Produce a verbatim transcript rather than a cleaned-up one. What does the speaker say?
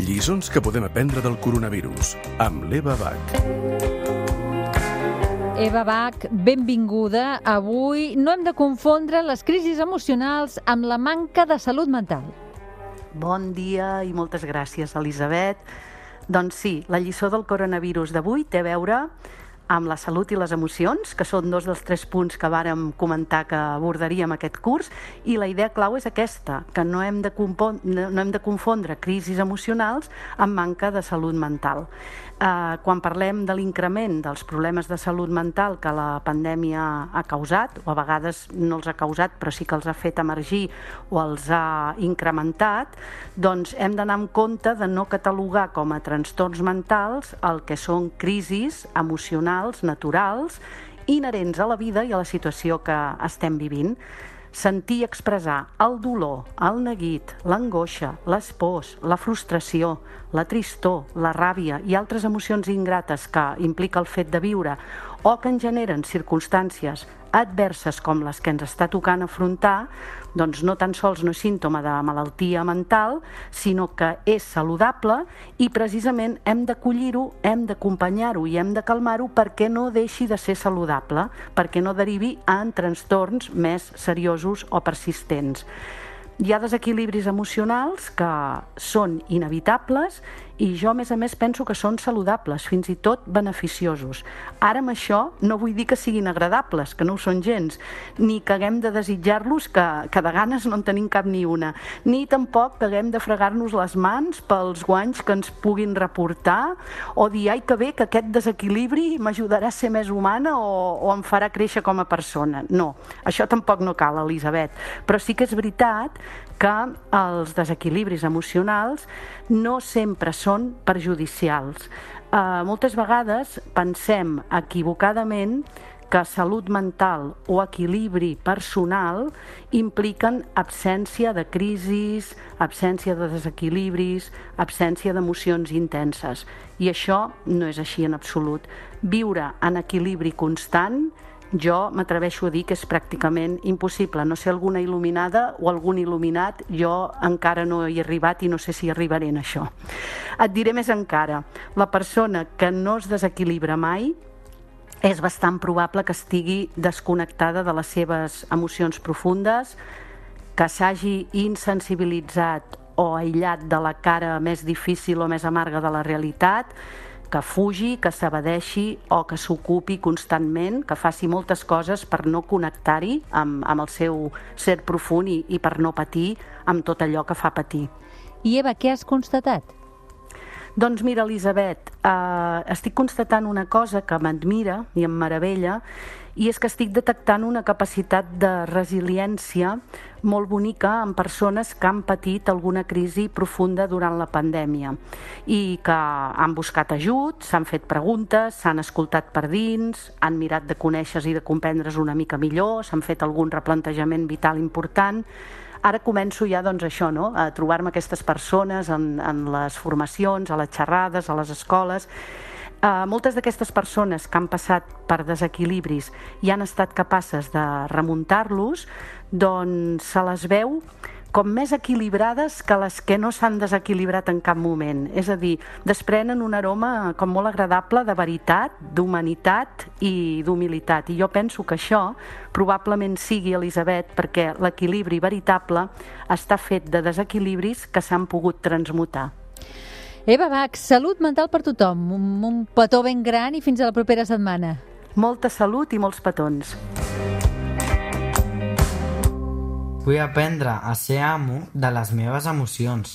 Lliçons que podem aprendre del coronavirus, amb l'Eva Bach. Eva Bach, benvinguda. Avui no hem de confondre les crisis emocionals amb la manca de salut mental. Bon dia i moltes gràcies, Elisabet. Doncs sí, la lliçó del coronavirus d'avui té a veure amb la salut i les emocions, que són dos dels tres punts que vàrem comentar que abordaríem aquest curs, i la idea clau és aquesta, que no hem de, compon- no hem de confondre crisis emocionals amb manca de salut mental. Eh, quan parlem de l'increment dels problemes de salut mental que la pandèmia ha causat, o a vegades no els ha causat, però sí que els ha fet emergir o els ha incrementat, doncs hem d'anar amb compte de no catalogar com a trastorns mentals el que són crisis emocionals naturals, inherents a la vida i a la situació que estem vivint. Sentir i expressar el dolor, el neguit, l'angoixa, les pors, la frustració, la tristor, la ràbia i altres emocions ingrates que implica el fet de viure o que en generen circumstàncies adverses com les que ens està tocant afrontar, doncs no tan sols no és símptoma de malaltia mental, sinó que és saludable i precisament hem d'acollir-ho, hem d'acompanyar-ho i hem de calmar-ho perquè no deixi de ser saludable, perquè no derivi en trastorns més seriosos o persistents. Hi ha desequilibris emocionals que són inevitables i jo, a més a més, penso que són saludables, fins i tot beneficiosos. Ara amb això no vull dir que siguin agradables, que no ho són gens, ni que haguem de desitjar-los, que, que de ganes no en tenim cap ni una, ni tampoc que haguem de fregar-nos les mans pels guanys que ens puguin reportar o dir, ai, que bé, que aquest desequilibri m'ajudarà a ser més humana o, o em farà créixer com a persona. No, això tampoc no cal, Elisabet, però sí que és veritat que els desequilibris emocionals no sempre són perjudicials. Eh, moltes vegades pensem equivocadament que salut mental o equilibri personal impliquen absència de crisis, absència de desequilibris, absència d'emocions intenses. I això no és així en absolut. Viure en equilibri constant, jo m'atreveixo a dir que és pràcticament impossible. No sé alguna il·luminada o algun il·luminat, jo encara no hi he arribat i no sé si arribaré en això. Et diré més encara, la persona que no es desequilibra mai és bastant probable que estigui desconnectada de les seves emocions profundes, que s'hagi insensibilitzat o aïllat de la cara més difícil o més amarga de la realitat, que fugi, que s'evadeixi o que s'ocupi constantment, que faci moltes coses per no connectar-hi amb, amb el seu ser profund i, i per no patir amb tot allò que fa patir. I Eva, què has constatat? Doncs mira, Elisabet, eh, estic constatant una cosa que m'admira i em meravella, i és que estic detectant una capacitat de resiliència molt bonica en persones que han patit alguna crisi profunda durant la pandèmia i que han buscat ajut, s'han fet preguntes, s'han escoltat per dins, han mirat de conèixer i de comprendre's una mica millor, s'han fet algun replantejament vital important. Ara començo ja doncs, això, no? A trobar-me aquestes persones en, en les formacions, a les xerrades, a les escoles. Uh, moltes d'aquestes persones que han passat per desequilibris i han estat capaces de remuntar-los, doncs se les veu com més equilibrades que les que no s'han desequilibrat en cap moment. És a dir, desprenen un aroma com molt agradable de veritat, d'humanitat i d'humilitat. I jo penso que això probablement sigui, Elisabet, perquè l'equilibri veritable està fet de desequilibris que s'han pogut transmutar. Eva Bach, salut mental per tothom, un, un petó ben gran i fins a la propera setmana. Molta salut i molts petons. Vull aprendre a ser amo de les meves emocions.